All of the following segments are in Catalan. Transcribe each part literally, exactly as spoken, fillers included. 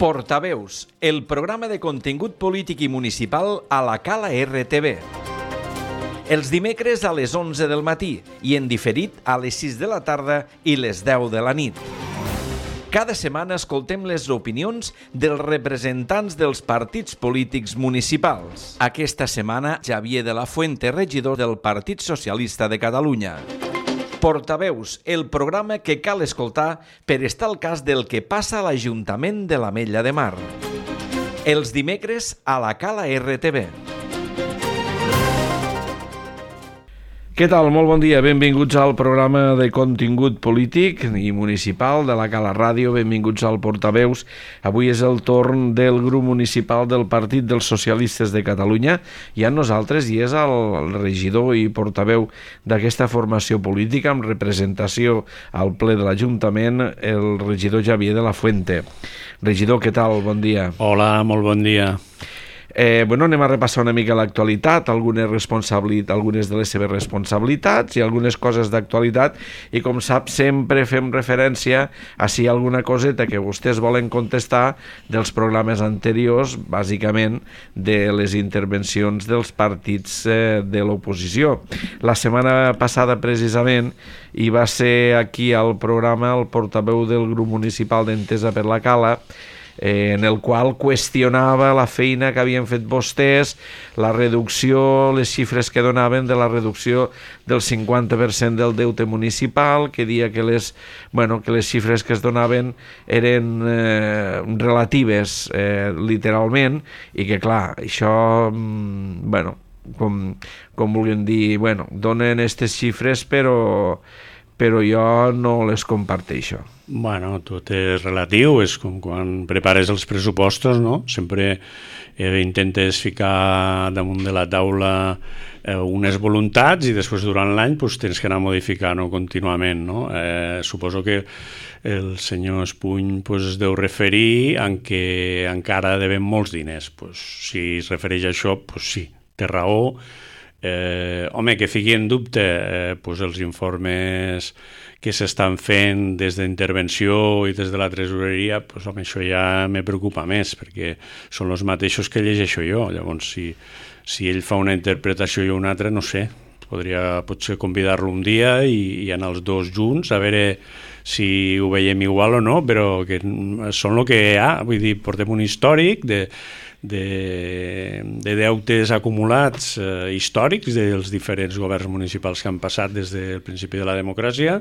Portaveus, el programa de contingut polític i municipal a la Cala R T V. Els dimecres a les onze del matí i en diferit a les sis de la tarda i les deu de la nit. Cada setmana escoltem les opinions dels representants dels partits polítics municipals. Aquesta setmana, Xavier de la Fuente, regidor del Partit Socialista de Catalunya. Portaveus, el programa que cal escoltar per estar al cas del que passa a l'Ajuntament de l'Ametlla de Mar. Els dimecres a la Cala R T V. Què tal? Molt bon dia. Benvinguts al programa de contingut polític i municipal de la Cala Ràdio. Benvinguts al Portaveus. Avui és el torn del grup municipal del Partit dels Socialistes de Catalunya i amb nosaltres i és el regidor i portaveu d'aquesta formació política amb representació al ple de l'Ajuntament, el regidor Xavier de la Fuente. Regidor, què tal? Bon dia. Hola, molt bon dia. Eh, bueno, anem a repassar una mica l'actualitat, algunes, responsabilitat, algunes de les seves responsabilitats i algunes coses d'actualitat, i com sap sempre fem referència a si hi ha alguna coseta que vostès volen contestar dels programes anteriors, bàsicament de les intervencions dels partits eh, de l'oposició. La setmana passada precisament hi va ser aquí al programa el portaveu del grup municipal d'Entesa per la Cala, Eh, en el qual qüestionava la feina que havien fet vostès, la reducció, les xifres que donaven de la reducció del cinquanta per cent del deute municipal, que dia que les, bueno, que les xifres que es donaven eren eh, relatives eh, literalment, i que clar, això, mm, bueno, com, com vulguin dir, bueno, donen aquestes xifres però però jo no les comparteixo. Bueno, tot és relatiu, és com quan prepares els pressupostos, no? Sempre eh, intentes ficar damunt de la taula eh, unes voluntats i després durant l'any pues, tens que anar modificant-ho contínuament, no? Eh, suposo que el senyor Espuny pues, es deu referir en que encara devem molts diners. Pues, si es refereix a això, pues, sí, té raó. Eh, home, que fiqui en dubte eh, pues els informes que s'estan fent des d'intervenció i des de la tresoreria, pues, home, això ja me preocupa més, perquè són els mateixos que llegeixo jo. Llavors, si, si ell fa una interpretació i una altra, no sé, podria potser convidar-lo un dia i, i anar els dos junts a veure si ho veiem igual o no, però que són el que hi ha. Vull dir, portem un històric de De, de deutes acumulats eh, històrics dels diferents governs municipals que han passat des del principi de la democràcia,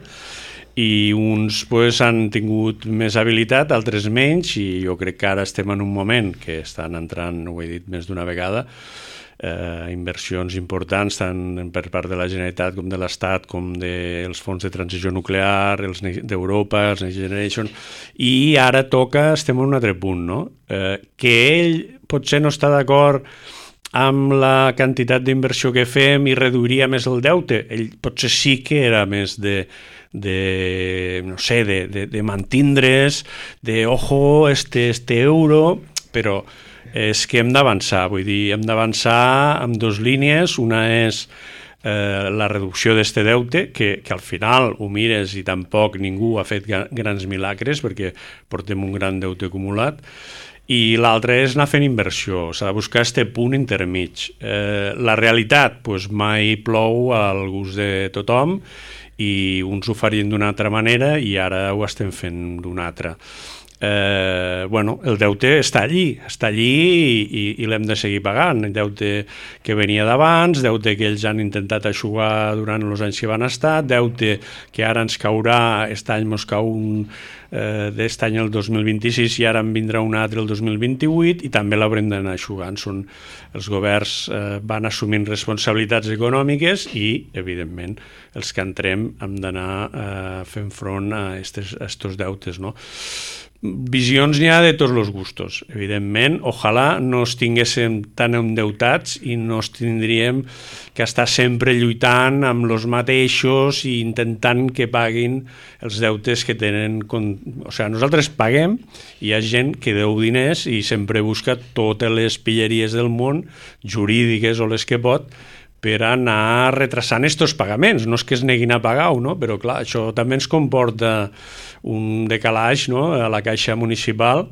i uns pues, han tingut més habilitat, altres menys, i jo crec que ara estem en un moment que estan entrant, ho he dit més d'una vegada, eh, inversions importants tant per part de la Generalitat com de l'Estat, com dels fons de transició nuclear, els d'Europa, els Next Generation, i ara toca, estem en un altre punt, no? Eh, que ell potser no està d'acord amb la quantitat d'inversió que fem i reduiria més el deute. Ell potser sí que era més de, de no sé, de, de, de mantindre's, de ojo, este, este euro, però és que hem d'avançar, vull dir, hem d'avançar amb dues línies. Una és eh, la reducció d'este deute, que, que al final ho mires i tampoc ningú ha fet grans milagres perquè portem un gran deute acumulat, i l'altre és anar fent inversió, s'ha de buscar este punt intermig. Eh, la realitat, doncs mai plou al gust de tothom i uns ho farien d'una altra manera i ara ho estem fent d'una altra. Eh, bueno, el deute està allí, està allí i, i, i l'hem de seguir pagant. El deute que venia d'abans, deute que ells han intentat aixugar durant els anys que van estar, deute que ara ens caurà, aquest any ens cau un eh, d'est any el dos mil vint-i-sis i ara en vindrà un altre el dos mil vint-i-vuit, i també l'haurem d'anar aixugant. Són, els governs eh, van assumint responsabilitats econòmiques i, evidentment, els que entrem hem d'anar eh, fent front a aquests deutes, no? Visions n'hi ha de tots els gustos, evidentment. Ojalà no es tinguéssim tan endeutats i no es tindríem que estar sempre lluitant amb els mateixos i intentant que paguin els deutes que tenen. O sigui, nosaltres paguem, hi ha gent que deu diners i sempre busca totes les pilleries del món, jurídiques o les que pot, per anar retrasant estos pagaments. No és que es neguin a pagar-ho, no? Però clar, això també ens comporta un decalatge, no?, a la caixa municipal,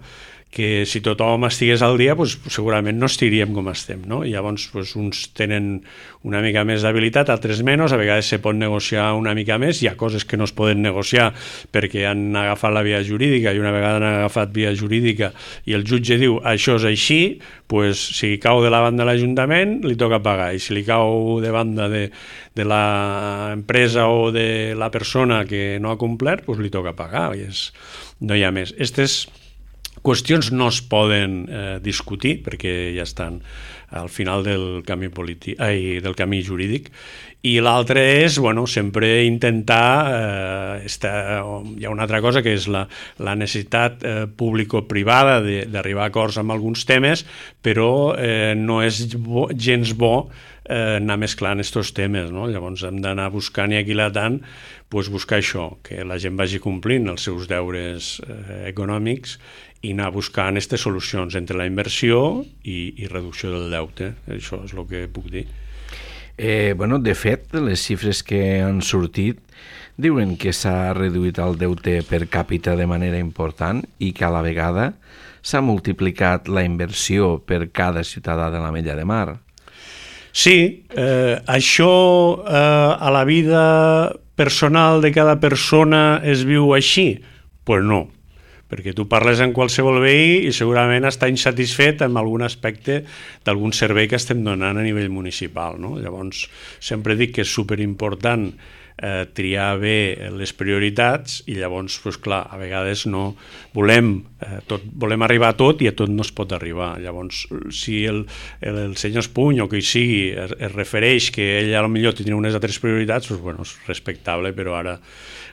que si tothom estigués al dia, doncs, segurament no estiríem com estem, no? I llavors doncs, uns tenen una mica més d'habilitat, altres menys, a vegades se pot negociar una mica més, hi ha coses que no es poden negociar perquè han agafat la via jurídica i una vegada han agafat via jurídica i el jutge diu això és així, doncs, si cau de la banda de l'Ajuntament li toca pagar, i si li cau de banda de, de l'empresa o de la persona que no ha complert, doncs li toca pagar, i és, no hi ha més. Aquestes qüestions no es poden eh, discutir perquè ja estan al final del camí polític, ai, del camí jurídic, i l'altre és, bueno, sempre intentar eh, estar, hi ha una altra cosa que és la, la necessitat eh, público-privada d'arribar a acords amb alguns temes, però eh, no és bo, gens bo eh, anar mesclant aquests temes, no? Llavors hem d'anar buscant i aquilatant, pues, buscar això, que la gent vagi complint els seus deures eh, econòmics i anar buscant aquestes solucions entre la inversió i, i reducció del deute. Això és el que puc dir. Eh, bueno, de fet, les xifres que han sortit diuen que s'ha reduït el deute per càpita de manera important i que a la vegada s'ha multiplicat la inversió per cada ciutadà de la Mella de Mar. Sí, eh, això eh, a la vida personal de cada persona es viu així? Doncs pues no, perquè tu parles amb qualsevol veí i segurament està insatisfet amb algun aspecte d'algun servei que estem donant a nivell municipal, no? Llavors, sempre dic que és superimportant eh, triar bé les prioritats i llavors, pues, clar, a vegades no volem, eh, tot, volem arribar a tot i a tot no es pot arribar. Llavors, si el, el, el senyor Espuny o qui sigui es, es refereix que ell a lo millor tindria unes altres prioritats, pues, bueno, és respectable, però ara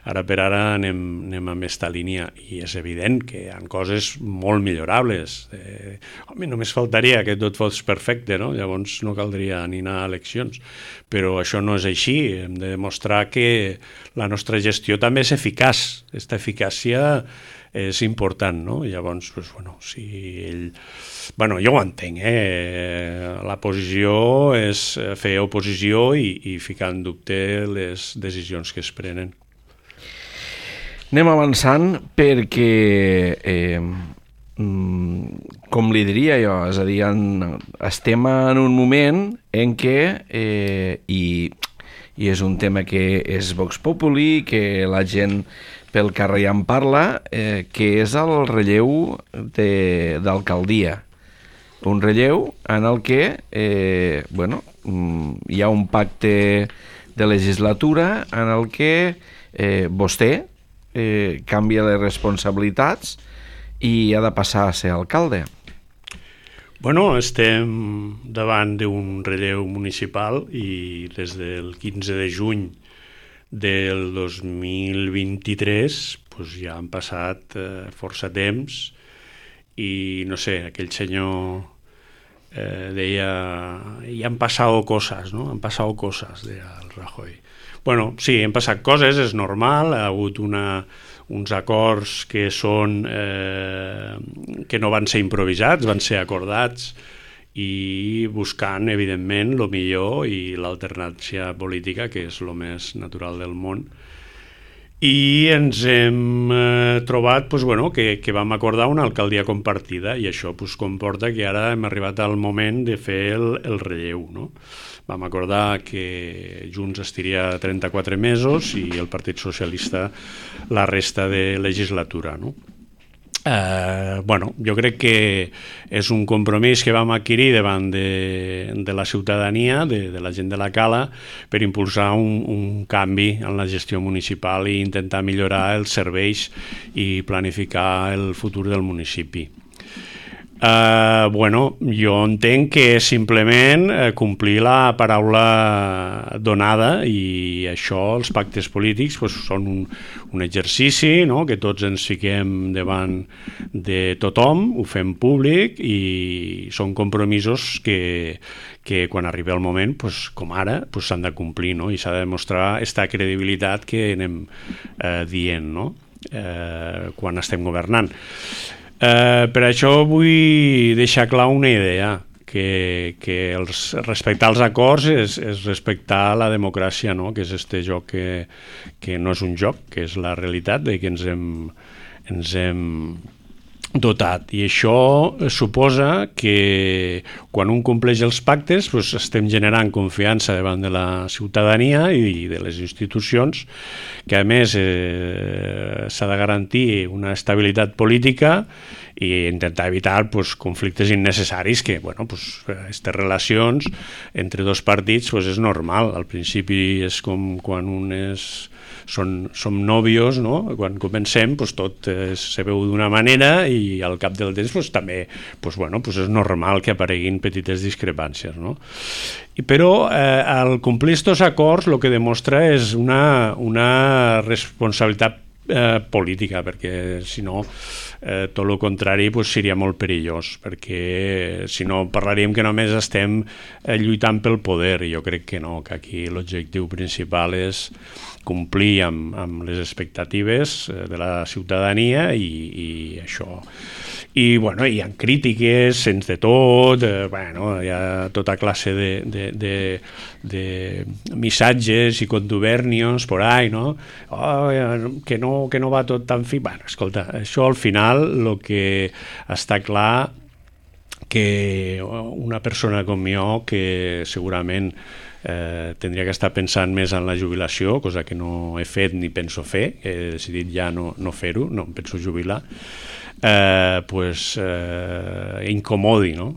Ara per ara anem, anem amb aquesta línia i és evident que hi ha coses molt millorables. Eh, home, només faltaria que tot fos perfecte, no? Llavors no caldria ni anar a eleccions. Però això no és així. Hem de demostrar que la nostra gestió també és eficaç. Aquesta eficàcia és important, no? Llavors, doncs, bueno, si ell... Bueno, jo ho entenc, eh? La posició és fer oposició i, i ficar en dubte les decisions que es prenen. Anem avançant perquè, eh, com li diria jo, és a dir, en, estem en un moment en què, eh, i, i és un tema que és Vox Populi, que la gent pel carrer ja en parla, eh, que és el relleu d'alcaldia. Un relleu en el que eh, bueno, hi ha un pacte de legislatura en el que eh, vostè Eh, canvia les responsabilitats i ha de passar a ser alcalde. Bueno, estem davant d'un relleu municipal i des del quinze de juny del dos mil vint-i-tres pues, ja han passat eh, força temps i no sé, aquell senyor eh, deia i han passat coses, no? Han passat coses, deia el Rajoy. Bueno, sí, han passat coses, és normal, ha hagut una, uns acords que són eh, que no van ser improvisats, van ser acordats i buscant, evidentment, el millor i l'alternància política, que és el més natural del món. I ens hem eh, trobat pues, bueno, que, que vam acordar una alcaldia compartida i això pues, comporta que ara hem arribat al moment de fer el, el relleu, no? Vam acordar que Junts estiria trenta-quatre mesos i el Partit Socialista la resta de legislatura, no? Eh, bueno, jo crec que és un compromís que vam adquirir davant de, de la ciutadania, de, de la gent de la Cala, per impulsar un, un canvi en la gestió municipal i intentar millorar els serveis i planificar el futur del municipi. Uh, bueno, jo entenc que és simplement uh, complir la paraula donada i això, els pactes polítics pues, són un, un exercici, no? Que tots ens fiquem davant de tothom, ho fem públic i són compromisos que, que quan arribi el moment, pues, com ara, pues, s'han de complir, no? I s'ha de demostrar aquesta credibilitat que anem uh, dient, no? uh, quan estem governant. Uh, per això vull deixar clar una idea, que, que els, respectar els acords és, és respectar la democràcia, no? Que és este joc que, que no és un joc, que és la realitat de que ens hem, ens hem dotat, i això suposa que quan un compleix els pactes doncs estem generant confiança davant de la ciutadania i de les institucions, que a més eh, s'ha de garantir una estabilitat política i intentar evitar pues, conflictes innecessaris que, bueno, pues, aquestes relacions entre dos partits pues, és normal. Al principi és com quan un és... Són, som nòvios, no? Quan comencem pues, tot eh, se veu d'una manera i al cap del temps pues, també pues, bueno, pues, és normal que apareguin petites discrepàncies, no? I, però eh, al complir aquests acords el que demostra és una, una responsabilitat eh, política, perquè si no eh, tot el contrari pues, seria molt perillós, perquè si no parlaríem que només estem eh, lluitant pel poder, i jo crec que no, que aquí l'objectiu principal és complir amb, amb les expectatives de la ciutadania i, i això. I, bueno, hi ha crítiques, sense de tot, eh, bueno, hi ha tota classe de, de, de, de missatges i contubernios por ahí, no? Oh, que no, que no va tot tan fi. Bueno, escolta, això al final el que està clar que una persona com jo, que segurament Eh, tindria que estar pensant més en la jubilació, cosa que no he fet ni penso fer, he decidit ja no, no fer-ho, no em penso jubilar, eh, pues, eh, incomodi, no?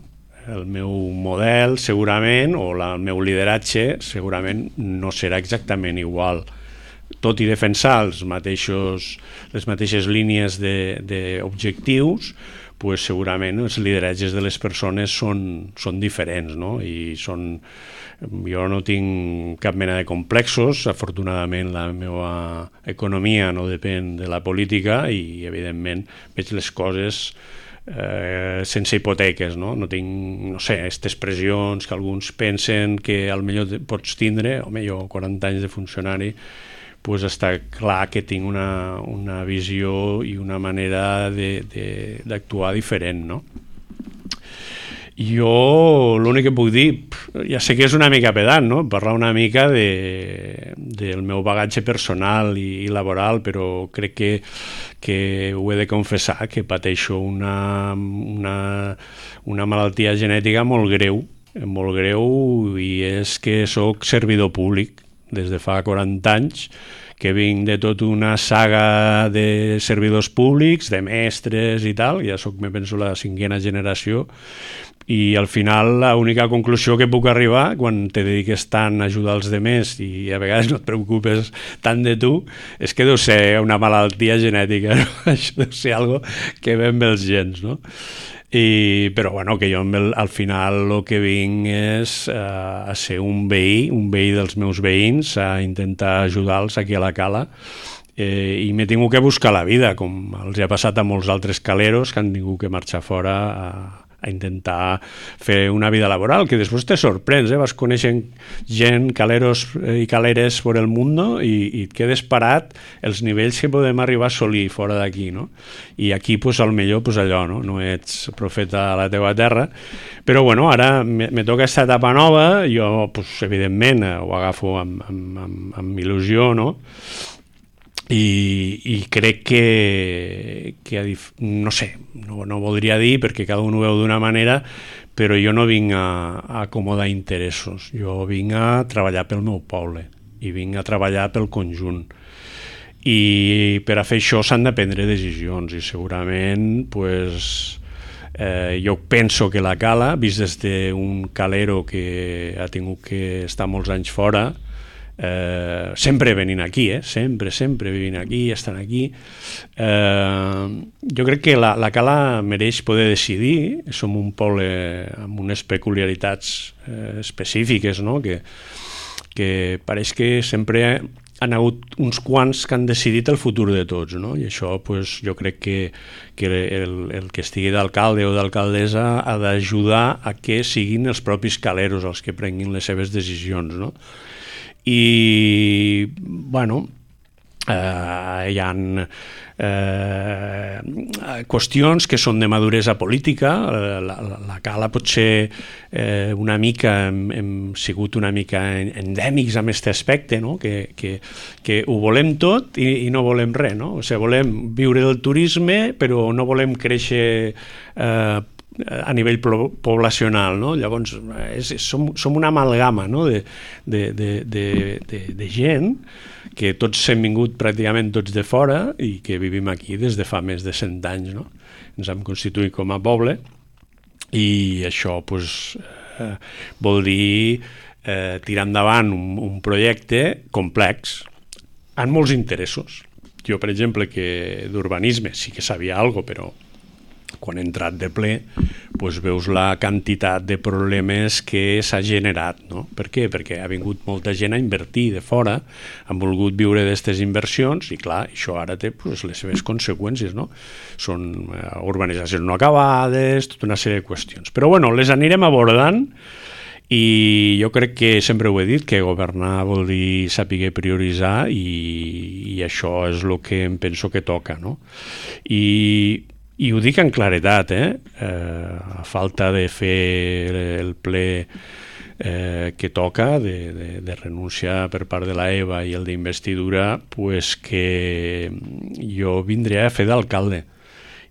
El meu model segurament, o la, el meu lideratge segurament no serà exactament igual, tot i defensar els mateixos, les mateixes línies d'objectius, pues segurament els lideratges de les persones són, són diferents, no? I són... Jo no tinc cap mena de complexos, afortunadament la meva economia no depèn de la política i evidentment veig les coses eh, sense hipoteques, no? No tinc, no sé, aquestes pressions que alguns pensen que al millor pots tindre, home, jo quaranta anys de funcionari, pues està clar que tinc una, una visió i una manera d'actuar diferent, no? Jo l'únic que puc dir, ja sé que és una mica pedant, no? Parlar una mica de, del meu bagatge personal i, i laboral, però crec que, que ho he de confessar, que pateixo una, una, una malaltia genètica molt greu, molt greu, i és que sóc servidor públic des de fa quaranta anys, que vinc de tota una saga de servidors públics, de mestres i tal, ja soc, me penso, la cinquena generació, i al final l'única conclusió que puc arribar quan te dediques tant a ajudar els demés i a vegades no et preocupes tant de tu, és que deu ser una malaltia genètica, no? Això deu ser algo que ve amb els gens, no? I, però bueno, que jo el, al final el que vinc és uh, a ser un veí, un veí dels meus veïns, a intentar ajudar-los aquí a la cala, eh, i m'he tingut que buscar la vida, com els ha passat a molts altres caleros que han tingut que marxar fora a, a intentar fer una vida laboral, que després te sorprens, eh? Vas coneixent gent, caleros i caleres per el món, i, i et quedes parat els nivells que podem arribar a assolir fora d'aquí, no? I aquí, pues, al millor, pues, allò, no? No ets profeta a la teva terra, però bueno, ara me, me toca aquesta etapa nova, jo, pues, evidentment, ho agafo amb, amb, amb, amb il·lusió, no? I, i crec que, que no sé, no, no voldria dir perquè cada un ho veu d'una manera, però jo no vinc a, a acomodar interessos, jo vinc a treballar pel meu poble i vinc a treballar pel conjunt, i per a fer això s'han de prendre decisions, i segurament pues, eh, jo penso que la cala, vist des d'un calero que ha tingut que estar molts anys fora, Eh, sempre venint aquí, eh? sempre, sempre venint aquí, estan aquí. Eh, jo crec que la, la cala mereix poder decidir, som un poble amb unes peculiaritats eh, específiques, no? que, que pareix que sempre han hagut uns quants que han decidit el futur de tots, no? I això pues, jo crec que, que el, el que estigui d'alcalde o d'alcaldessa ha d'ajudar a que siguin els propis caleros els que prenguin les seves decisions, no? I, bueno, Uh, hi ha uh, qüestions que són de maduresa política. Uh, la, la, la Cala potser uh, una mica hem, hem sigut una mica endèmics amb aquest aspecte, no? que, que, que ho volem tot i, i no volem res, no? O sigui, volem viure del turisme però no volem créixer uh, a nivell poblacional, no? Llavors és, som, som una amalgama, no? de, de, de, de, de, de gent que tots hem vingut pràcticament tots de fora i que vivim aquí des de fa més de cent anys, no? Ens hem constituït com a poble i això pues, eh, vol dir eh, tirar endavant un, un projecte complex amb molts interessos. Jo, per exemple, que d'urbanisme sí que sabia alguna cosa, però quan he entrat de ple pues veus la quantitat de problemes que s'ha generat, no? Per què? Perquè ha vingut molta gent a invertir de fora, han volgut viure d'aquestes inversions i clar, això ara té pues, les seves conseqüències, no? Són uh, urbanitzacions no acabades, tota una sèrie de qüestions. Però bueno, les anirem abordant i jo crec que sempre ho he dit, que governar vol dir saber prioritzar i, i això és el que em penso que toca, no? I I ho dic en claretat, eh? Eh, a falta de fer el ple eh, que toca, de, de, de renúncia per part de la EVA i el d'investidura, pues que jo vindré a fer d'alcalde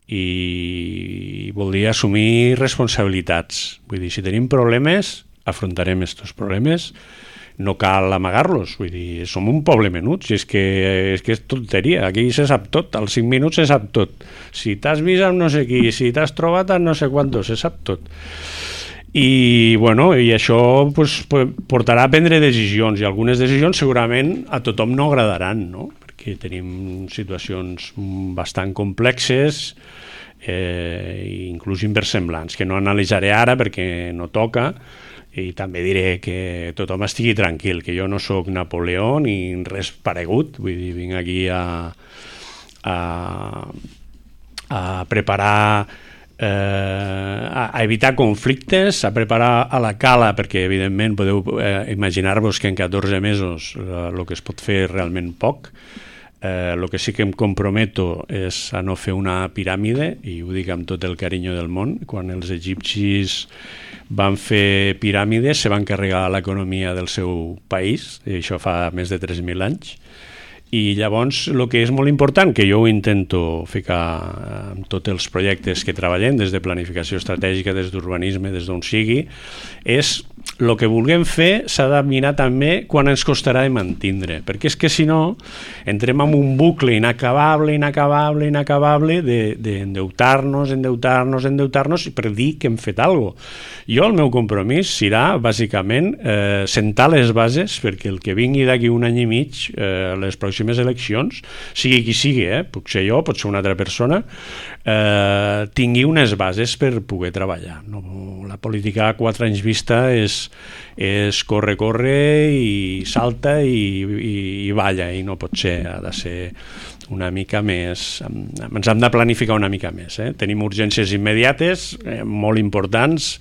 i voldria assumir responsabilitats. Vull dir, si tenim problemes, afrontarem aquests problemes, no cal amagar-los, vull dir, som un poble menut, si és que és, que és tonteria, aquí se sap tot, als cinc minuts se sap tot, si t'has vist amb no sé qui, si t'has trobat amb no sé quantos, se sap tot. I, bueno, i això pues, portarà a prendre decisions, i algunes decisions segurament a tothom no agradaran, no? Perquè tenim situacions bastant complexes, eh, inclús inversemblants, que no analitzaré ara perquè no toca, i també diré que tothom estigui tranquil, que jo no sóc Napoleó ni res paregut, vull dir, vinc aquí a, a, a preparar, eh, a, a evitar conflictes, a preparar a la Cala, perquè evidentment podeu eh, imaginar-vos que en catorze mesos el eh, que es pot fer és realment poc. Eh, el que sí que em comprometo és a no fer una piràmide, i ho dic amb tot el carinyo del món. Quan els egipcis van fer piràmides se van carregar l'economia del seu país, i això fa més de tres mil anys, i llavors el que és molt important, que jo ho intento ficar en tots els projectes que treballem, des de planificació estratègica, des d'urbanisme, des d'on sigui, és el que vulguem fer s'ha de mirar també quan ens costarà de mantindre, perquè és que si no entrem en un bucle inacabable, inacabable, inacabable d'endeutar-nos, endeutar-nos, endeutar-nos per dir que hem fet alguna cosa. Jo el meu compromís serà bàsicament eh, sentar les bases perquè el que vingui d'aquí un any i mig, eh, les pròximes eleccions, sigui qui sigui, eh, puc ser jo, pot ser una altra persona, eh, tingui unes bases per poder treballar. No, la política a quatre anys vista és és corre, corre i salta i, i, i balla, i no pot ser, ha de ser una mica més, ens hem de planificar una mica més, eh? Tenim urgències immediates, eh, molt importants,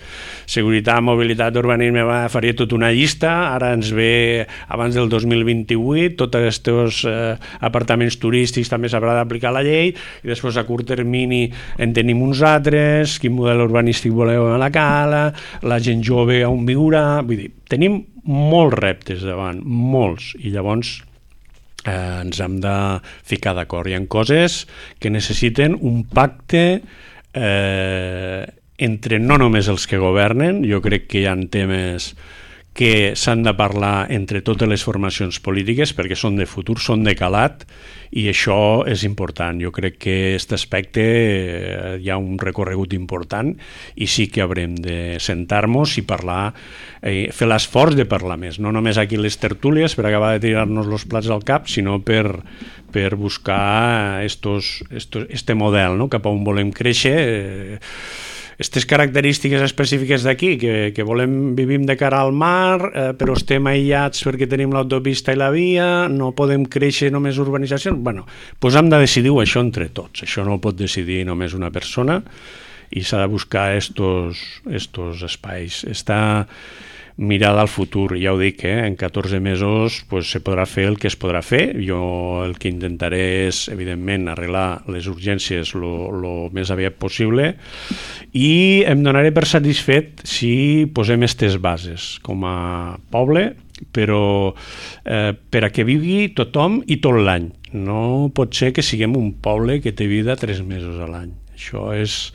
seguretat, mobilitat, urbanisme, va, faria tota una llista, ara ens ve abans del dos mil vint-i-vuit, tots aquests eh, apartaments turístics també s'haurà d'aplicar la llei, i després a curt termini en tenim uns altres, quin model urbanístic voleu a la Cala, la gent jove on viurà, vull dir, tenim molts reptes davant, molts, i llavors eh, ens hem de ficar d'acord. Hi ha coses que necessiten un pacte eh, entre no només els que governen, jo crec que hi ha temes que s'han de parlar entre totes les formacions polítiques perquè són de futur, són de calat, i això és important. Jo crec que aquest aspecte eh, hi ha un recorregut important i sí que haurem de sentar-nos i parlar, eh, fer l'esforç de parlar més, no només aquí les tertúlies per acabar de tirar-nos els plats al cap, sinó per, per buscar estos, estos, este model, no? Cap a on volem créixer, eh, aquestes característiques específiques d'aquí, que, que volem, vivim de cara al mar, eh, però estem aïllats perquè tenim l'autopista i la via, no podem créixer només urbanitzacions. Bueno, doncs hem de decidir-ho això entre tots. Això no ho pot decidir només una persona i s'ha de buscar estos, estos espais. Està mirar al futur. Ja ho dic, eh? En catorze mesos pues, se podrà fer el que es podrà fer. Jo el que intentaré és, evidentment, arreglar les urgències el més aviat possible i em donaré per satisfet si posem aquestes bases com a poble, però eh, per a que vivui tothom i tot l'any. No pot ser que siguem un poble que té vida tres mesos a l'any. Això és,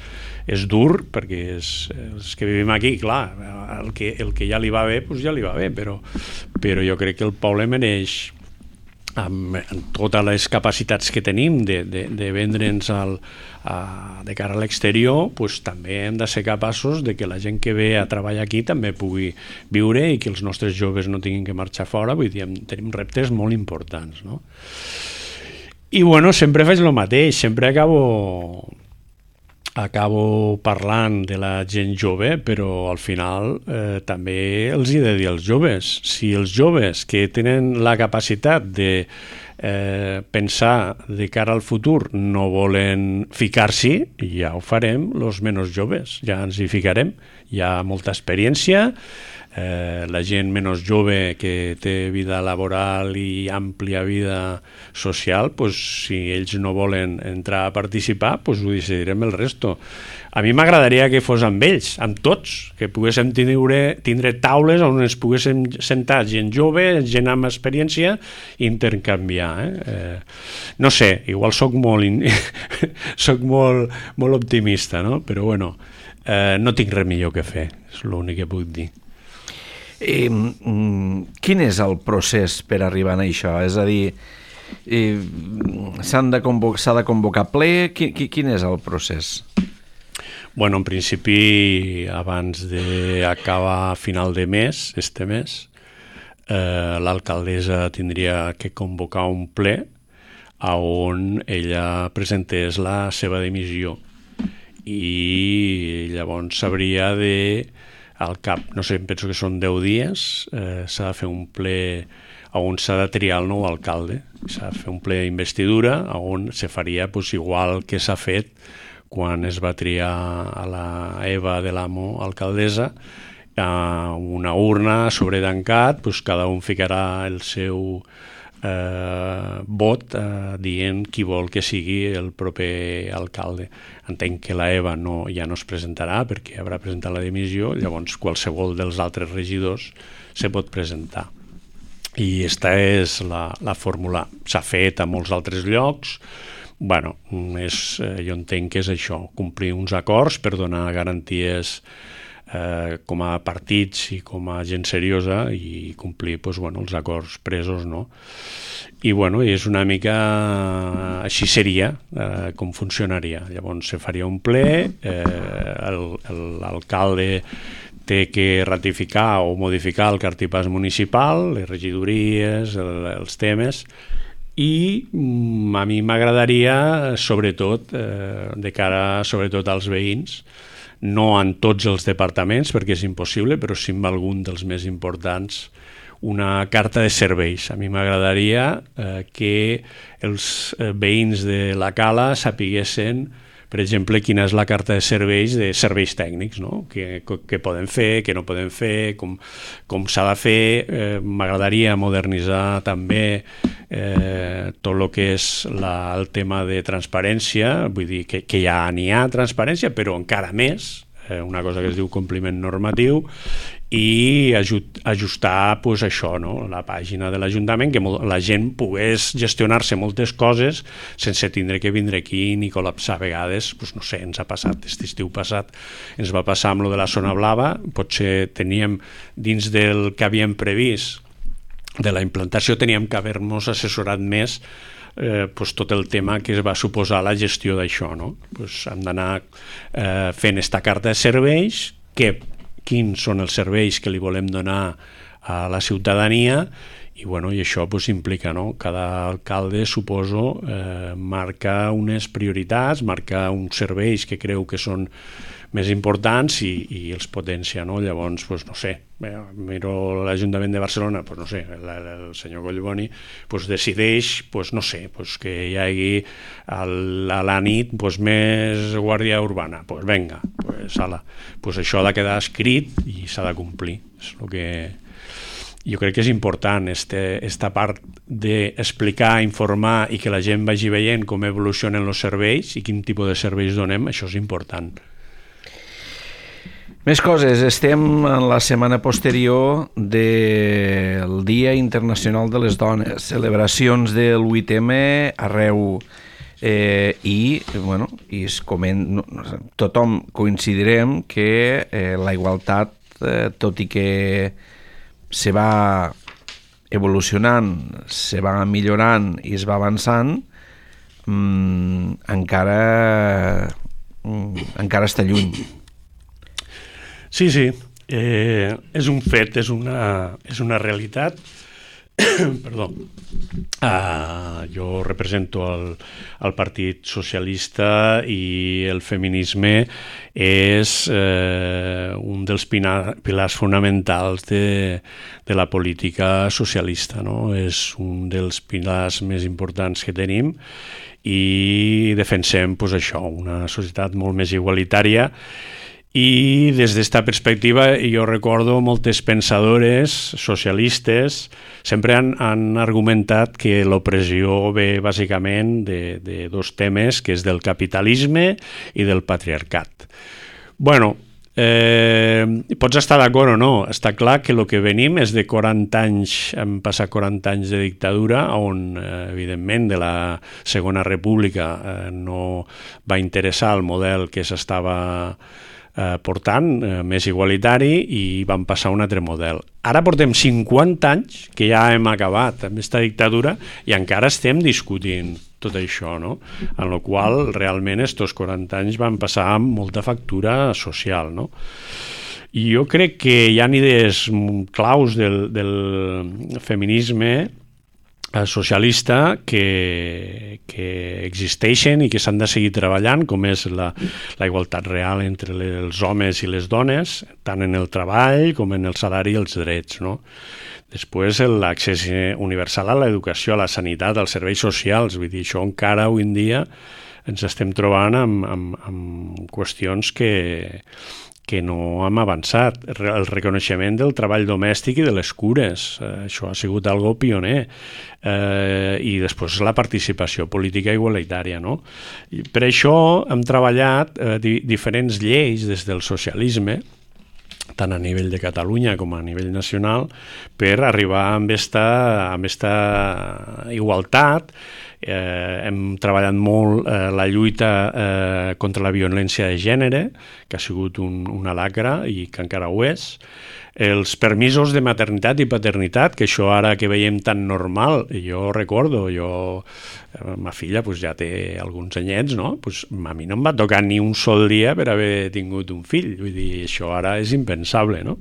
és dur, perquè és, els que vivim aquí, clar, el que, el que ja li va bé, doncs ja li va bé, però, però jo crec que el poble mereix, amb, amb totes les capacitats que tenim de, de, de vendre'ns al, a, de cara a l'exterior, doncs també hem de ser capaços de que la gent que ve a treballar aquí també pugui viure i que els nostres joves no tinguin que marxar fora. Vull dir, tenim reptes molt importants, no? I bueno, sempre faig el mateix, sempre acabo... acabo parlant de la gent jove, però al final eh, també els he de dir als joves. Si els joves que tenen la capacitat de eh, pensar de cara al futur no volen ficar-s'hi, ja ho farem els menys joves, ja ens hi ficarem. Hi ha molta experiència, eh, la gent menys jove que té vida laboral i àmplia vida social, pues, si ells no volen entrar a participar, pues, ho decidirem el resto. A mi m'agradaria que fos amb ells, amb tots, que poguéssim tindre, tindre taules on ens poguéssim sentar gent jove, gent amb experiència i intercanviar. Eh? Eh, no sé, igual soc molt, in... soc molt, molt optimista, no? Però bueno, eh, no tinc res millor que fer, és l'únic que puc dir. Eh, quin és el procés per arribar a això? És a dir, eh, s'ha de, convoc de convocar ple? Quin, quin és el procés? Bueno, en principi, abans d'acabar a final de mes, este mes, eh, l'alcaldessa tindria que convocar un ple on ella presentés la seva dimissió i llavors s'hauria de... al cap, no sé, penso que són deu dies, eh, s'ha de fer un ple on s'ha de triar el nou alcalde, s'ha de fer un ple d'investidura on se faria pues, igual que s'ha fet quan es va triar a la Eva de l'Amo alcaldessa, a una urna sobretancat, pues, cada un ficarà el seu eh, vot eh, dient qui vol que sigui el proper alcalde. Entenc que la Eva no, ja no es presentarà perquè haurà presentat la dimissió, llavors qualsevol dels altres regidors se pot presentar. I aquesta és la, la fórmula. S'ha fet a molts altres llocs. Bueno, és, jo entenc que és això, complir uns acords per donar garanties eh, com a partits i com a gent seriosa i complir pues, bueno, els acords presos, no? I bueno, és una mica així seria eh, com funcionaria. Llavors se faria un ple, eh, l'alcalde té que ratificar o modificar el cartipàs municipal, les regidories, el, els temes, i a mi m'agradaria, sobretot, eh, de cara sobretot als veïns, no en tots els departaments, perquè és impossible, però sí en algun dels més importants, una carta de serveis. A mi m'agradaria eh, que els eh, veïns de la Cala sapiguessin, per exemple, quina és la carta de serveis de serveis tècnics, no? Què, què poden fer, què no poden fer, com, com s'ha de fer. Eh, m'agradaria modernitzar també eh, tot el que és la, el tema de transparència, vull dir que, que ja n'hi ha transparència, però encara més, eh, una cosa que es diu compliment normatiu, i ajustar pues, això, no? La pàgina de l'Ajuntament, que la gent pogués gestionar-se moltes coses sense tindre que vindre aquí ni col·lapsar a vegades. Pues, no sé, ens ha passat, aquest estiu passat ens va passar amb lo de la zona blava, potser teníem dins del que havíem previst de la implantació, teníem que haver-nos assessorat més eh, pues, tot el tema que es va suposar la gestió d'això, no? Pues, hem d'anar eh, fent esta carta de serveis, que quins són els serveis que li volem donar a la ciutadania I, bueno, i això pues, implica, no? Cada alcalde, suposo, eh, marca unes prioritats, marca uns serveis que creu que són més importants i, i els potencia, no? Llavors, pues, no sé, miro l'Ajuntament de Barcelona, pues, no sé, el, el senyor Collboni pues, decideix, pues, no sé, pues, que hi hagi al, a la nit pues, més guàrdia urbana, pues venga, pues, ala, pues això ha de quedar escrit i s'ha de complir. És el que jo crec que és important, este, esta part d'explicar, informar i que la gent vagi veient com evolucionen els serveis i quin tipus de serveis donem, això és important. Més coses, estem en la setmana posterior del Dia Internacional de les Dones, celebracions del vuit eme arreu, eh, i, bueno, i es coment, no, tothom coincidirem que eh, la igualtat, eh, tot i que se va evolucionant, se va millorant i es va avançant, mmm, encara, mm, encara està lluny. Sí, sí, eh, és un fet, és una, és una realitat. Perdó. Uh, jo represento el, el Partit Socialista i el feminisme és eh, un dels pina, pilars fonamentals de, de la política socialista, no? És un dels pilars més importants que tenim i defensem pues, això, una societat molt més igualitària. I des d'esta perspectiva jo recordo moltes pensadores socialistes sempre han, han argumentat que l'opressió ve bàsicament de, de dos temes, que és del capitalisme i del patriarcat. Bueno, eh, pots estar d'acord o no, està clar que el que venim és de quaranta anys, hem passat quaranta anys de dictadura on eh, evidentment de la Segona República eh, no va interessar el model que s'estava Eh, portant, eh, més igualitari, i vam passar a un altre model. Ara portem cinquanta anys que ja hem acabat amb aquesta dictadura i encara estem discutint tot això, no? En la qual realment estos quaranta anys van passar amb molta factura social, no? I jo crec que hi ha idees claus del, del feminisme socialista que, que existeixen i que s'han de seguir treballant, com és la, la igualtat real entre els homes i les dones, tant en el treball com en el salari i els drets, no? Després, l'accés universal a l'educació, a la sanitat, als serveis socials, vull dir, això encara avui en dia ens estem trobant amb, amb, amb qüestions que, que no hem avançat. El reconeixement del treball domèstic i de les cures, eh, això ha sigut algo pioner. Eh, I després la participació política igualitària, no? I per això hem treballat eh, di diferents lleis des del socialisme, tant a nivell de Catalunya com a nivell nacional, per arribar amb esta, amb esta igualtat. Eh, hem treballat molt eh, la lluita eh, contra la violència de gènere, que ha sigut un, una lacra i que encara ho és. Els permisos de maternitat i paternitat, que això ara que veiem tan normal, jo recordo, jo, eh, ma filla pues, ja té alguns anyets, no? Pues, a mi no em va tocar ni un sol dia per haver tingut un fill, vull dir, això ara és impensable, no?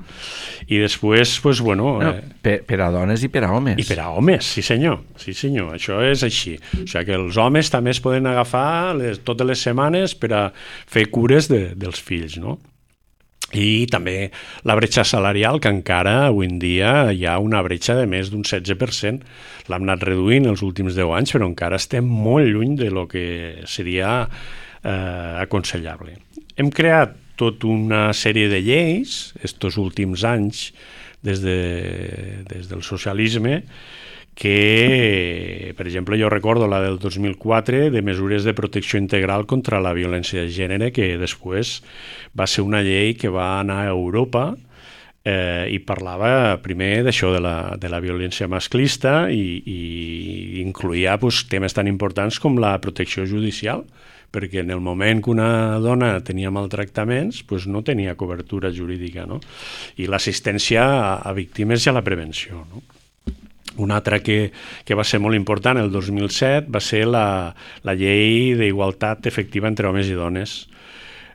I després, pues, bueno... No, eh, per, per a dones i per a homes. I per a homes, sí senyor, sí senyor, això és així. O sigui que els homes també es poden agafar les, totes les setmanes per a fer cures de, dels fills, no? I també la bretxa salarial, que encara avui en dia hi ha una bretxa de més d'un setze per cent. L'hem anat reduint els últims deu anys, però encara estem molt lluny de lo que seria eh, aconsellable. Hem creat tota una sèrie de lleis estos últims anys des, de, des del socialisme, que, per exemple, jo recordo la del dos mil quatre de mesures de protecció integral contra la violència de gènere, que després va ser una llei que va anar a Europa eh, i parlava primer d'això de, la, de la violència masclista i, i incluïa pues, temes tan importants com la protecció judicial, perquè en el moment que una dona tenia maltractaments pues no tenia cobertura jurídica, no? I l'assistència a, a víctimes i a la prevenció, no? Una altra que, que va ser molt important el dos mil set va ser la, la llei d'igualtat efectiva entre homes i dones.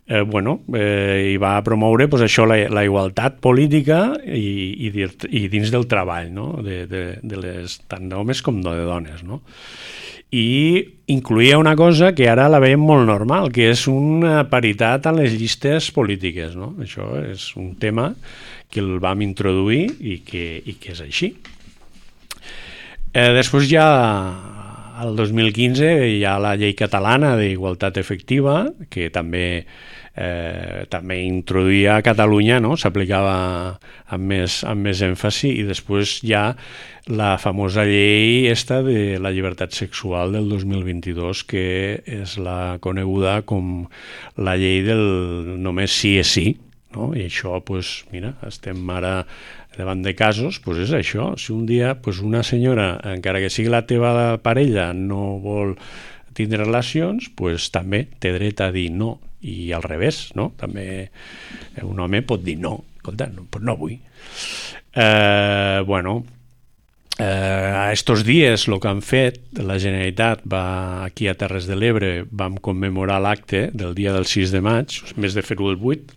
eh, bueno, eh, i va promoure pues, això, la, la igualtat política i, i, i dins del treball, no? de, de, de les, tant d'homes com de dones, no? I incluïa una cosa que ara la veiem molt normal, que és una paritat en les llistes polítiques, no? Això és un tema que el vam introduir i que, i que és així. Eh, després ja, al dos mil quinze, hi ha la llei catalana d'igualtat efectiva, que també Eh, també introduïa a Catalunya, no? S'aplicava amb més, amb més èmfasi, i després hi ha la famosa llei esta de la llibertat sexual del dos mil vint-i-dos, que és la coneguda com la llei del només sí és sí, no? I això, pues, mira, estem ara davant de casos, pues és això. Si un dia pues, una senyora, encara que sigui la teva parella, no vol tindre relacions, pues, també té dret a dir no. I al revés, no? També un home pot dir no, escolta, no, pues no vull. Eh, bueno, eh, estos dies el que han fet, la Generalitat va aquí a Terres de l'Ebre, vam commemorar l'acte del dia del sis de maig, en vez de fer-ho el vuit,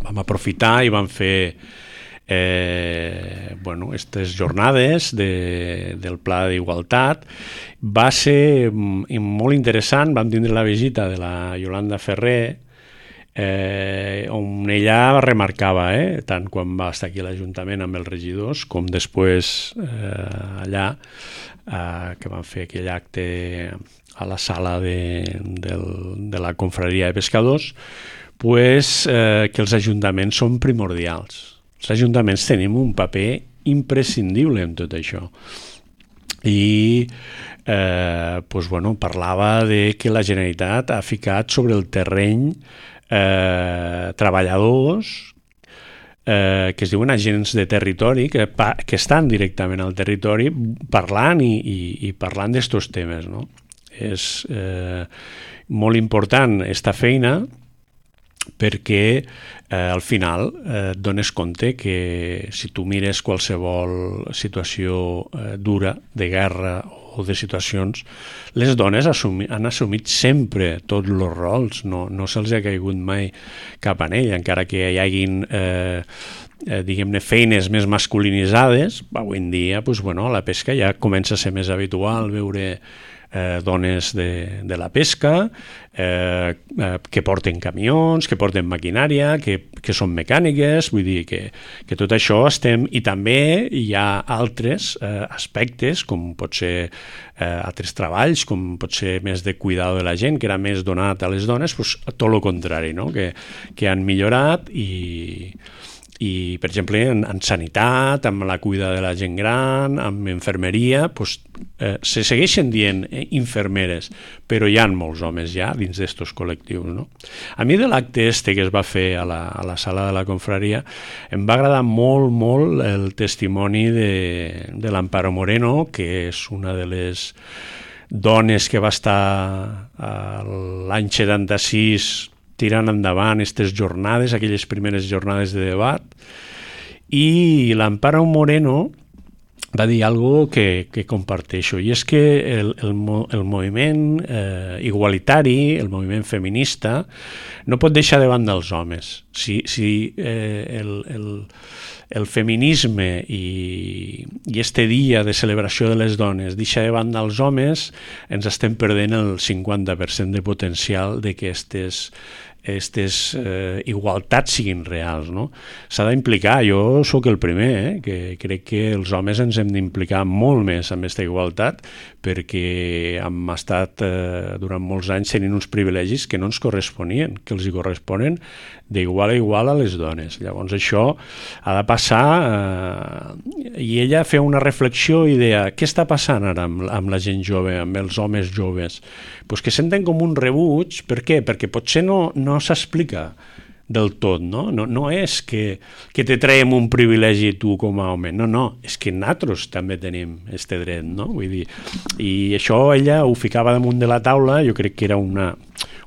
vam aprofitar i vam fer Eh, bueno, aquestes jornades de, del Pla d'Igualtat. Va ser molt interessant, vam tindre la visita de la Yolanda Ferrer, eh, on ella remarcava, eh, tant quan va estar aquí a l'Ajuntament amb els regidors, com després eh, allà, eh, que van fer aquell acte a la sala de, del, de la Confraria de Pescadors, pues, eh, que els ajuntaments són primordials. Els ajuntaments tenim un paper imprescindible en tot això. I eh, pues, bueno, parlava de que la Generalitat ha ficat sobre el terreny eh, treballadors eh, que es diuen agents de territori, que, que estan directament al territori parlant i, i, i parlant d'estos temes, no? És eh, molt important esta feina, perquè eh, al final eh, et dones compte que si tu mires qualsevol situació eh, dura, de guerra o de situacions, les dones assumi, han assumit sempre tots els rols, no, no se'ls ha caigut mai cap en ell, encara que hi haguin eh, eh, diguem-ne feines més masculinitzades. Avui en dia pues, bueno, a la pesca ja comença a ser més habitual veure Eh, dones de, de la pesca, eh, eh, que porten camions, que porten maquinària, que, que són mecàniques, vull dir que, que tot això estem... I també hi ha altres eh, aspectes, com pot ser eh, altres treballs, com pot ser més de cuidado de la gent, que era més donat a les dones, pues, tot el contrari, no? que, que han millorat i... i, per exemple, en, en sanitat, amb la cuida de la gent gran, amb infermeria, pues, eh, se segueixen dient eh, infermeres, però hi ha molts homes ja dins d'estos col·lectius, no? A mi de l'acte este que es va fer a la, a la sala de la confraria em va agradar molt, molt el testimoni de, de l'Amparo Moreno, que és una de les dones que va estar l'any setanta-sis tirant endavant aquestes jornades, aquelles primeres jornades de debat, i l'Amparo Moreno va dir algo que, que comparteixo, i és que el, el, el moviment eh, igualitari, el moviment feminista, no pot deixar de banda els homes. Si, si eh, el, el, el feminisme i, i este dia de celebració de les dones deixa de banda els homes, ens estem perdent el cinquanta per cent de potencial de que aquestes aquestes eh, igualtats siguin reals, no? S'ha d'implicar, jo sóc el primer, eh, que crec que els homes ens hem d'implicar molt més amb aquesta igualtat, perquè hem estat eh, durant molts anys tenint uns privilegis que no ens corresponien, que els hi corresponen d'igual a igual a les dones. Llavors això ha de passar, eh, i ella feia una reflexió i deia, què està passant ara amb, amb la gent jove, amb els homes joves? Pues que senten com un rebuig. Per què? Perquè potser no, no s'explica del tot, no? No, no és que, que te traiem un privilegi tu com a home, no, no, és que nosaltres també tenim este dret, no? Vull dir, i això ella ho ficava damunt de la taula, jo crec que era una,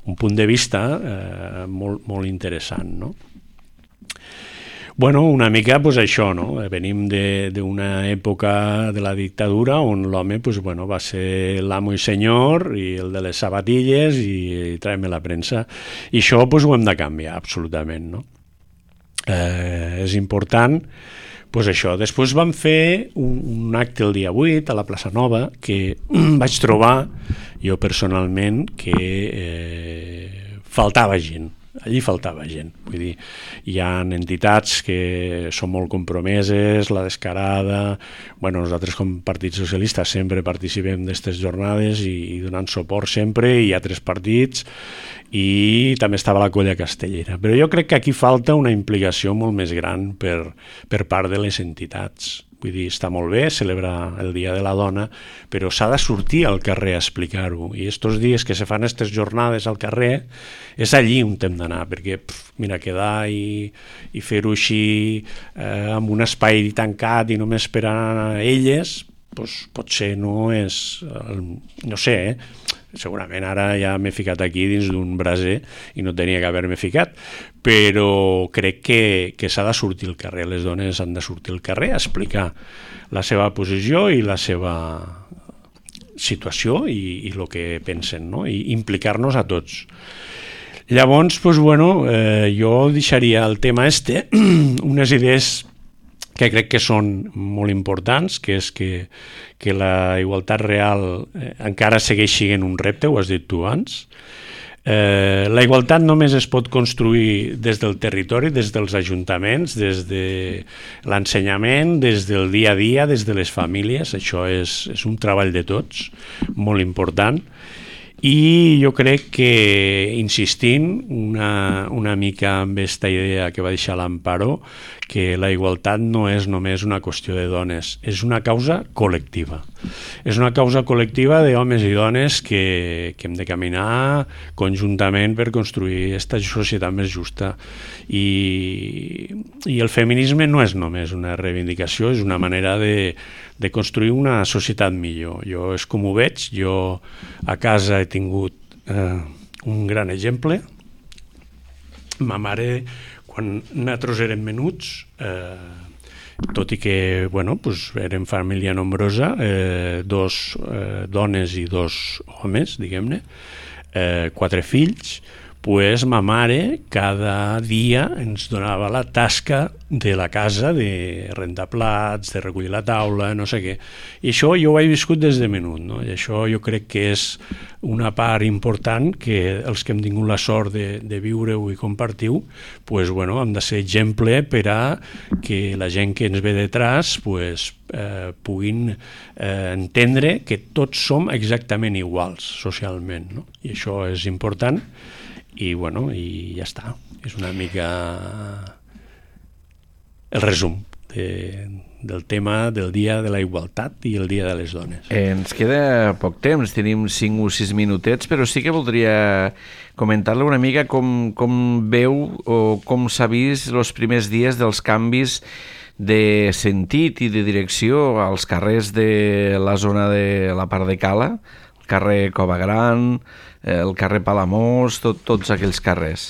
un punt de vista eh, molt, molt interessant, no? Bueno, una mica pues, això, no? Venim d'una època de la dictadura on l'home pues, bueno, va ser l'amo i senyor i el de les sabatilles i, i traiem la premsa. I això pues, ho hem de canviar, absolutament, no? Eh, és important, pues això. Després vam fer un, un acte el dia vuit a la Plaça Nova que vaig trobar jo personalment que eh, faltava gent. Allí faltava gent, vull dir, hi ha entitats que són molt compromeses, la Descarada, bueno, nosaltres com Partit Socialista sempre participem d'aquestes jornades i, i donant suport sempre, i hi ha tres partits, i també estava la Colla Castellera. Però jo crec que aquí falta una implicació molt més gran per, per part de les entitats. Vull dir, està molt bé celebrar el Dia de la Dona, però s'ha de sortir al carrer a explicar-ho. I estos dies que se fan aquestes jornades al carrer, és allí on hem d'anar, perquè, pf, mira, quedar i, i fer-ho així eh, amb un espai tancat i només per a elles, doncs, potser no és... Eh, no sé, eh? Segurament ara ja m'he ficat aquí dins d'un braser i no tenia que haver-me ficat, però crec que, que s'ha de sortir al carrer, les dones han de sortir al carrer a explicar la seva posició i la seva situació i, i el que pensen, no? I implicar-nos a tots. Llavors, doncs, bueno, eh, jo deixaria el tema este, unes idees que crec que són molt importants, que és que, que la igualtat real eh, encara segueix sent un repte, ho has dit tu abans. Eh, la igualtat només es pot construir des del territori, des dels ajuntaments, des de l'ensenyament, des del dia a dia, des de les famílies. Això és, és un treball de tots, molt important. I jo crec que, insistint una, una mica amb aquesta idea que va deixar l'Amparo, que la igualtat no és només una qüestió de dones, és una causa col·lectiva. És una causa col·lectiva d'homes i dones que, que hem de caminar conjuntament per construir aquesta societat més justa. I, i el feminisme no és només una reivindicació, és una manera de, de construir una societat millor. Jo és com ho veig, jo a casa he tingut eh, un gran exemple. Ma mare, quan nosaltres érem menuts, eh, tot i que bueno, pues, érem família nombrosa, eh, dos eh, dones i dos homes, diguem-ne, eh, quatre fills, pues ma mare cada dia ens donava la tasca de la casa, de rentar plats, de recollir la taula, no sé què. I això jo ho he viscut des de menut, no? I això jo crec que és una part important que els que hem tingut la sort de, de viure-ho i compartir-ho, pues, bueno, hem de ser exemple per a que la gent que ens ve detrás pues, eh, puguin eh, entendre que tots som exactament iguals socialment, no? I això és important. I, bueno, i ja està. És una mica el resum de, del tema del Dia de la Igualtat i el Dia de les Dones. Eh, ens queda poc temps, tenim cinc o sis minutets, però sí que voldria comentar-le una mica com, com veu o com s'ha vist els primers dies dels canvis de sentit i de direcció als carrers de la zona de la part de Cala, el carrer Cova Gran, el carrer Palamós, tot, tots aquells carrers.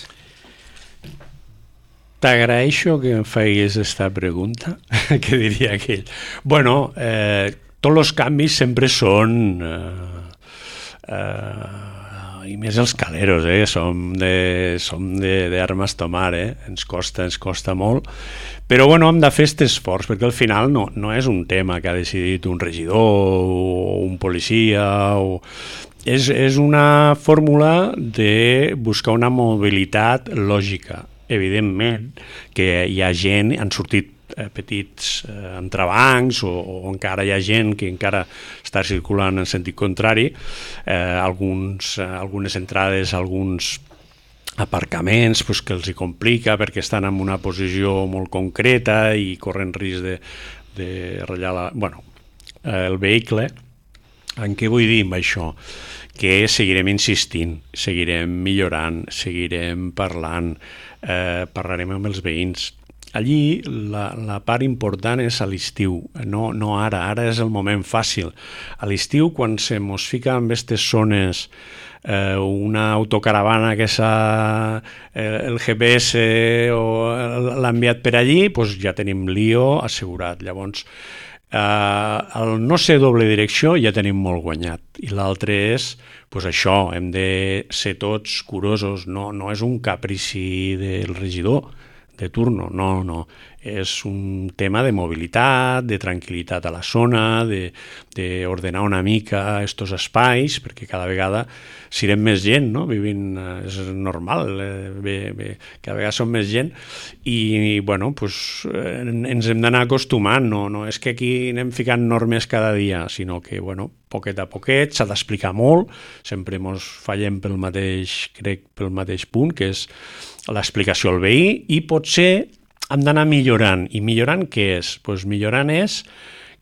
T'agraeixo que em facis aquesta pregunta, que diria aquell. Bueno, eh, tots els canvis sempre són... Eh, eh, i més els caleros, eh? Som de, som de, d'armes tomar, eh? Ens costa, ens costa molt. Però bueno, hem de fer aquest esforç, perquè al final no, no és un tema que ha decidit un regidor o un policia o... És, és una fórmula de buscar una mobilitat lògica. Evidentment que hi ha gent, han sortit eh, petits eh, entrebancs o, o encara hi ha gent que encara està circulant en sentit contrari, eh, alguns, eh, algunes entrades, alguns aparcaments pues, que els hi complica perquè estan en una posició molt concreta i corren risc de, de ratllar la, bueno, eh, el vehicle. En què vull dir amb això? Que seguirem insistint, seguirem millorant, seguirem parlant, eh, parlarem amb els veïns. Allí la, la part important és a l'estiu, no, no ara, ara és el moment fàcil. A l'estiu, quan se mos fica en aquestes zones eh, una autocaravana que s'ha eh, el G P S o l'ha enviat per allí, doncs ja tenim lío assegurat. Llavors, eh, el no ser doble direcció ja tenim molt guanyat. I l'altre és, doncs això, hem de ser tots curosos, no, no és un caprici del regidor de turno, no, no. És un tema de mobilitat, de tranquil·litat a la zona, d'ordenar una mica estos espais, perquè cada vegada serem més gent, no? Vivint, és normal, eh, bé, bé, cada vegada som més gent i, bueno, pues, eh, ens hem d'anar acostumant, no, no és que aquí anem ficant normes cada dia, sinó que, bueno, poquet a poquet, s'ha d'explicar molt, sempre mos fallem pel mateix, crec, pel mateix punt, que és l'explicació al veí, i potser hem d'anar millorant. I millorant què és? Pues millorant és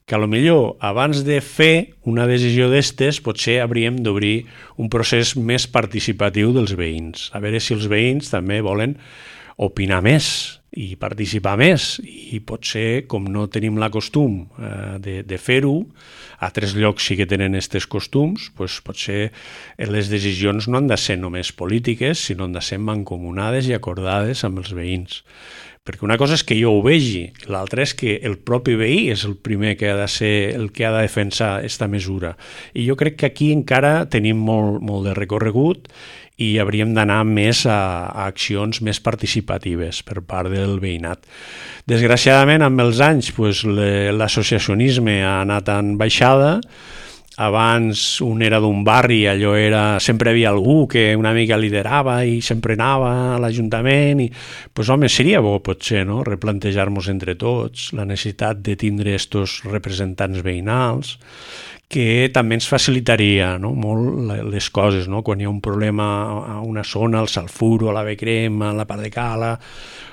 que potser abans de fer una decisió d'estes potser hauríem d'obrir un procés més participatiu dels veïns. A veure si els veïns també volen opinar més i participar més, i potser, com no tenim la costum eh, de, de fer-ho, a altres llocs sí que tenen aquests costums, doncs potser les decisions no han de ser només polítiques, sinó han de ser mancomunades i acordades amb els veïns. Perquè una cosa és que jo ho vegi, l'altra és que el propi veí és el primer que ha de ser el que ha de defensar aquesta mesura. I jo crec que aquí encara tenim molt, molt de recorregut i hauríem d'anar més a, a accions més participatives per part del veïnat. Desgraciadament, amb els anys, pues, l'associacionisme ha anat en baixada. Abans un era d'un barri, allò era, sempre hi havia algú que una mica liderava i sempre anava a l'Ajuntament i, pues, home, seria bo potser, no?, replantejar-nos entre tots la necessitat de tindre estos representants veïnals, que també ens facilitaria, no?, molt les coses, no? Quan hi ha un problema a una zona, al Salfuro, a la Becrem, a la Part de Cala,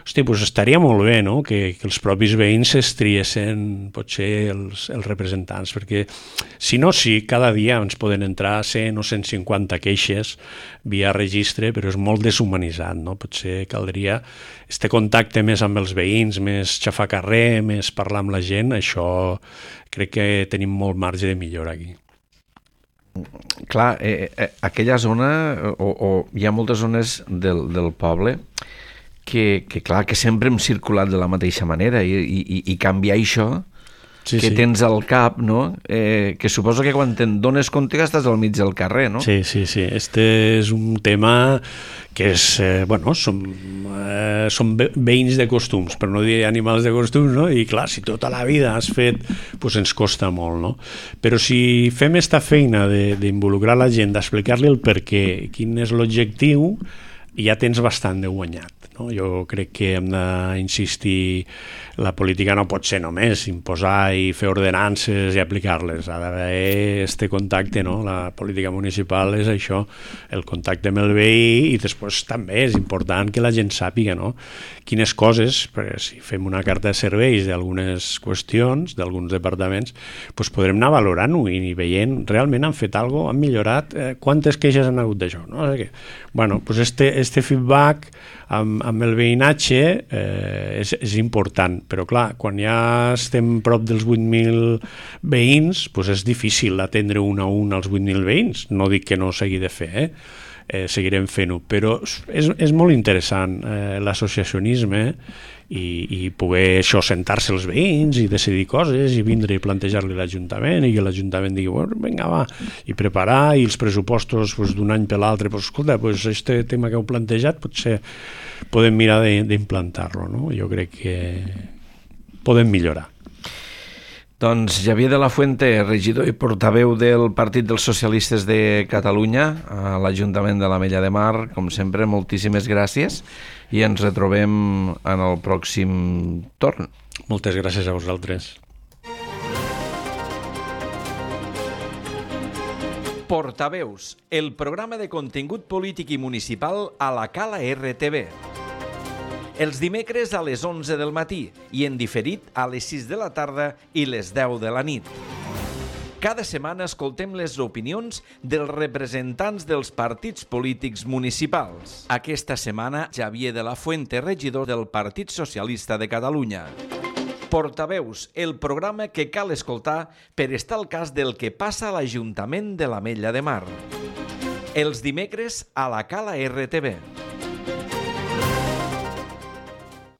hosti, doncs estaria molt bé, no?, que, que els propis veïns es triessin potser els, els representants, perquè si no, sí, cada dia ens poden entrar cent o cent cinquanta queixes via registre, però és molt deshumanitzat, no? Potser caldria este contacte més amb els veïns, més xafar carrer, més parlar amb la gent, això crec que tenim molt marge de millora aquí. Clar, eh, eh, aquella zona, o, o hi ha moltes zones del, del poble que, que, clar, que sempre hem circulat de la mateixa manera i, i, i canviar això sí, que sí. tens al cap, no? Eh, que suposo que quan te'n dones compte que estàs al mig del carrer, no? Sí, sí, sí. Este és un tema que és, eh, bueno, som, eh, som veïns de costums, per no dir animals de costums, no? I clar, si tota la vida has fet, doncs ens costa molt, no? Però si fem esta feina d'involucrar la gent, d'explicar-li el per què, quin és l'objectiu, ja tens bastant de guanyat. No? Jo crec que hem d'insistir, la política no pot ser només imposar i fer ordenances i aplicar-les, ha d'haver este contacte, no? La política municipal és això, el contacte amb el veí, i després també és important que la gent sàpiga, no?, quines coses, perquè si fem una carta de serveis d'algunes qüestions, d'alguns departaments, doncs podrem anar valorant-ho i veient, realment han fet alguna cosa, han millorat, eh, quantes queixes han hagut d'això, no? O sigui, bueno, doncs este, este feedback amb, amb el veïnatge eh, és, és important, però clar, quan ja estem prop dels vuit mil veïns, doncs és difícil atendre un a un als vuit mil veïns, no dic que no s'hagi de fer, eh? Eh, seguirem fent-ho, però és, és molt interessant eh, l'associacionisme i, i poder això, sentar-se els veïns i decidir coses i vindre i plantejar-li a l'Ajuntament i que l'Ajuntament digui, bueno, vinga, va, i preparar, i els pressupostos pues, d'un any per l'altre, pues, escolta, pues, este tema que heu plantejat potser podem mirar d'implantar-lo, no? Jo crec que podem millorar. Doncs Xavier de la Fuente, regidor i portaveu del Partit dels Socialistes de Catalunya a l'Ajuntament de l'Ametlla de Mar, com sempre, moltíssimes gràcies i ens retrobem en el pròxim torn. Moltes gràcies a vosaltres. Portaveus, el programa de contingut polític i municipal a la Cala R T V. Els dimecres a les onze del matí i en diferit a les sis de la tarda i les deu de la nit. Cada setmana escoltem les opinions dels representants dels partits polítics municipals. Aquesta setmana, Xavier de la Fuente, regidor del Partit Socialista de Catalunya. Portaveus, el programa que cal escoltar per estar al cas del que passa a l'Ajuntament de l'Ametlla de Mar. Els dimecres a la Cala R T V.